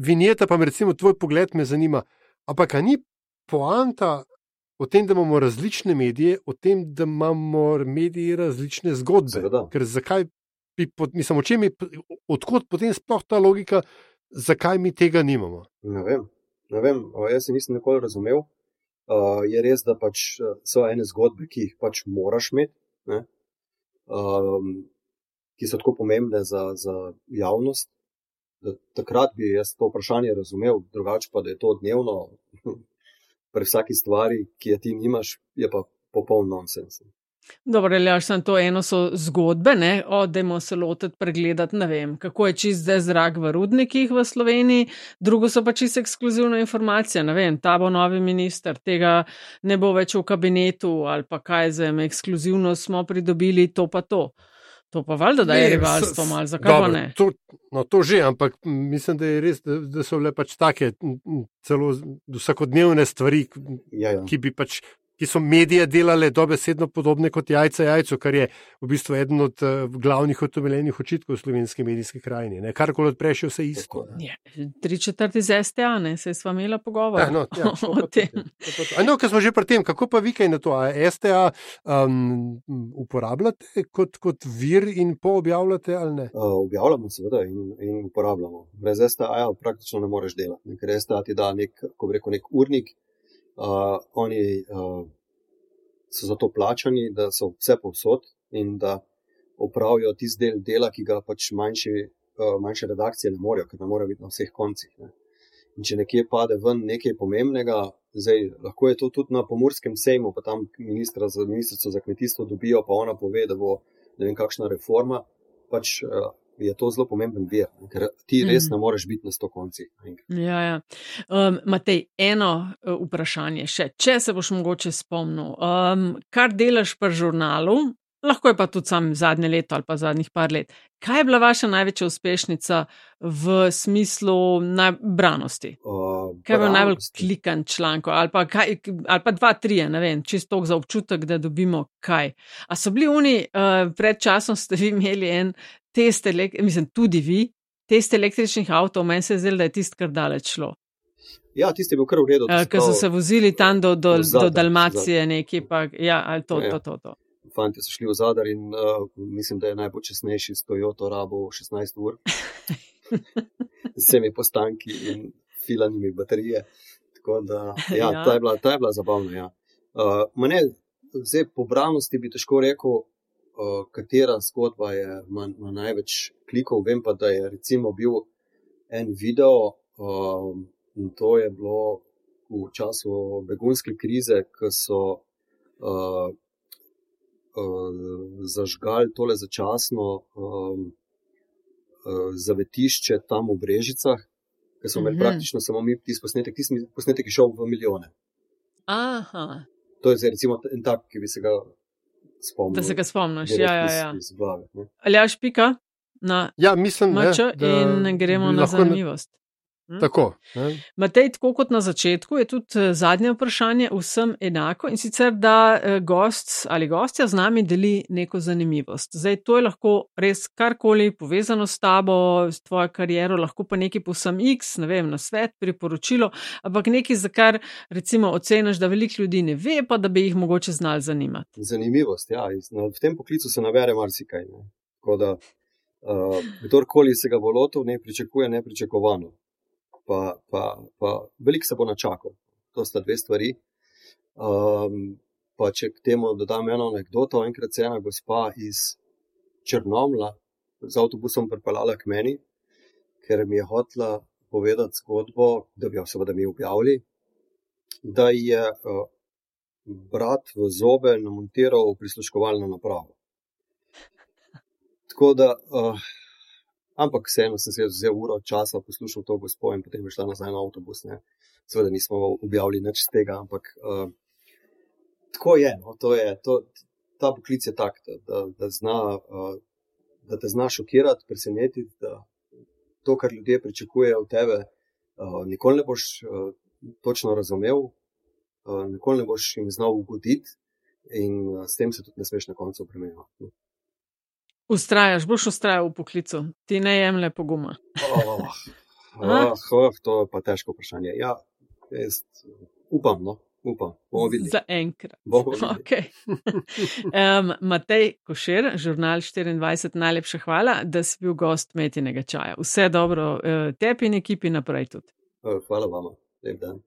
vinjeta, pa me recimo tvoj pogled me zanima. Ampak a ni poanta o tem, da imamo različne medije, o tem, da imamo mediji različne zgodbe? Seveda. Ker zakaj bi, mislim, o čem je, odkot potem sploh ta logika, zakaj mi tega nimamo? Ne vem, ne vem, jaz se nisem nikoli razumel. Uh, je res, da pač so ene zgodbe, ki jih pač moraš imeti, ne? Um, ki so tako pomembne za, za javnost, da takrat bi jaz to vprašanje razumel, drugače pa, da je to dnevno pri vsaki stvari, ki je ti nimaš, je pa popoln nonsens. Dobro, Aljaž, samo to eno so zgodbe, ne, o, dajmo se lotiti pregledati, ne vem, kako je čist zdaj zrak v rudnikih v Sloveniji, drugo so pa čist ekskluzivna informacija, ne vem, ta bo novi minister, tega ne bo več v kabinetu ali pa kaj zem, ekskluzivno smo pridobili to pa to. To pa valjda, da je rivalstvo malo, zakaj pa ne? To, no, to že, ampak mislim, da je res, da, da so bile pač take celo vsakodnevne stvari, ja, ja. ki bi pač ki so medije delale dobesedno podobne kot jajca jajcu, kar je v bistvu eden od uh, glavnih utemeljenih očitkov v slovenski medijski krajini. Ne? Karkoli odpreš, je vse isto. Ja, tri četrti z S T A, ne, se sva imela pogovor ja, no, ja, o tem. No, ker smo že pri tem, kako pa vi kaj na to? A S T A um, uporabljate kot, kot vir in poobjavljate ali ne? Uh, objavljamo seveda in, in uporabljamo. Brez S T A praktično ne moreš delati, ker S T A ti da nek, ko bi rekel, nek urnik. Uh, oni uh, so za to plačani, da so vse povsod in da opravijo tisti del dela, ki ga pač manjši, uh, manjše redakcije ne morejo, ker ne morejo biti na vseh koncih. Ne. In če nekje pade ven nekaj pomembnega, zdaj lahko je to tudi na Pomurskem sejmu, pa tam ministra za, ministrico za kmetijstvo dobijo, pa ona pove, da bo ne vem kakšna reforma, pač uh, je to zelo pomemben vir, ker ti res ne moreš biti na sto koncih. Ja, ja. Um, Matej, eno uh, vprašanje še, če se boš mogoče spomnil, um, kar delaš pri žurnalu, lahko je pa tudi sam zadnje leto ali pa zadnjih par let, kaj je bila vaša največja uspešnica v smislu branosti? Uh, kaj je bil najbolj klikan članko? Ali pa, kaj, ali pa dva, trije, ne vem, čisto za občutek, da dobimo kaj. A so bili oni, uh, pred časom ste vi imeli en test, mislim, tudi vi, test električnih avtov, meni se je zdelo, da je tist kar daleč šlo. Ja, tist je bil kar v redu. Uh, Ker so se vozili tam do, do, do Dalmacije nekje, pa ja, ali to, ja, ja. to, to, to. Fanti so šli v Zadar in uh, mislim, da je najpočasnejši s Toyoto rabo šestnajst ur. Z vsemi postanki in filanimi baterije. Tako da, ja, ja. Ta, je bila, ta je bila zabavna, ja. Uh, mene, zdaj po branosti bi težko rekel, Uh, katera zgodba je ima, ima največ klikov. Vem pa, da je recimo bil en video, uh, in to je bilo v času begunske krize, ko so uh, uh, zažgali tole začasno um, uh, zavetišče tam v Brežicah, ker so imeli mm-hmm. praktično samo mi tisti posnetek, tisti posnetek je šel v milijone. Aha. To je zdaj recimo en tak, ki bi se ga spomnil. Da se ga spomniš, ja, ja, ja. Iz, iz glave, Aljaž pika na ja, mislim, mač ne, in gremo na zanimivost. Hm? Tako. Ne. Matej, tako kot na začetku, je tudi zadnje vprašanje vsem enako in sicer, da gost ali gostja z nami deli neko zanimivost. Zdaj, to je lahko res karkoli povezano s tabo, s tvojo kariero, lahko pa nekaj povsem X, ne vem, na svet, priporočilo, ampak nekaj, za kar recimo oceniš, da veliko ljudi ne ve, pa da bi jih mogoče znali zanimati. Zanimivost, ja. V tem poklicu se nabere marsikaj. Ne. Tako da, uh, kdorkoli se ga bo lotil, ne pričakuje nepričakovano. Pa, pa, pa veliko se bo načakal. To sta dve stvari. Um, pa če k temu dodam eno anekdoto, enkrat se ena gospa iz Črnomlja z avtobusom pripeljala k meni, ker mi je hotela povedati zgodbo, da bi jo seveda mi objavili, da je uh, brat v zobe namontiral prisluškovalno napravo. Tako da, uh, ampak vseeno sem se vzel uro časa, poslušal to gospo in potem je šla nazaj na avtobus. Ne. Seveda nismo objavili nič z tega, ampak uh, tako je, no, to je, to, ta poklic je tak, da, da, da, zna, uh, da te zna šokirati, presenetiti, da to, kar ljudje pričakujejo od tebe, uh, nikoli ne boš uh, točno razumel, uh, nikoli ne boš jim znal ugoditi in uh, s tem se tudi ne smeš na koncu obremenjevati. Ustrajaš, boš ustrajal v poklicu, ti ne jemlje poguma. Oh, oh, oh, to je pa težko vprašanje. Ja, jaz upam, no, upam. Bomo videli. Za enkrat. Bomo videli. Okay. um, Matej Košir, Žurnal štiriindvajset, najlepša hvala, da si bil gost Metinega čaja. Vse dobro tebi in ekipi naprej tudi. Hvala vama. Lep dan.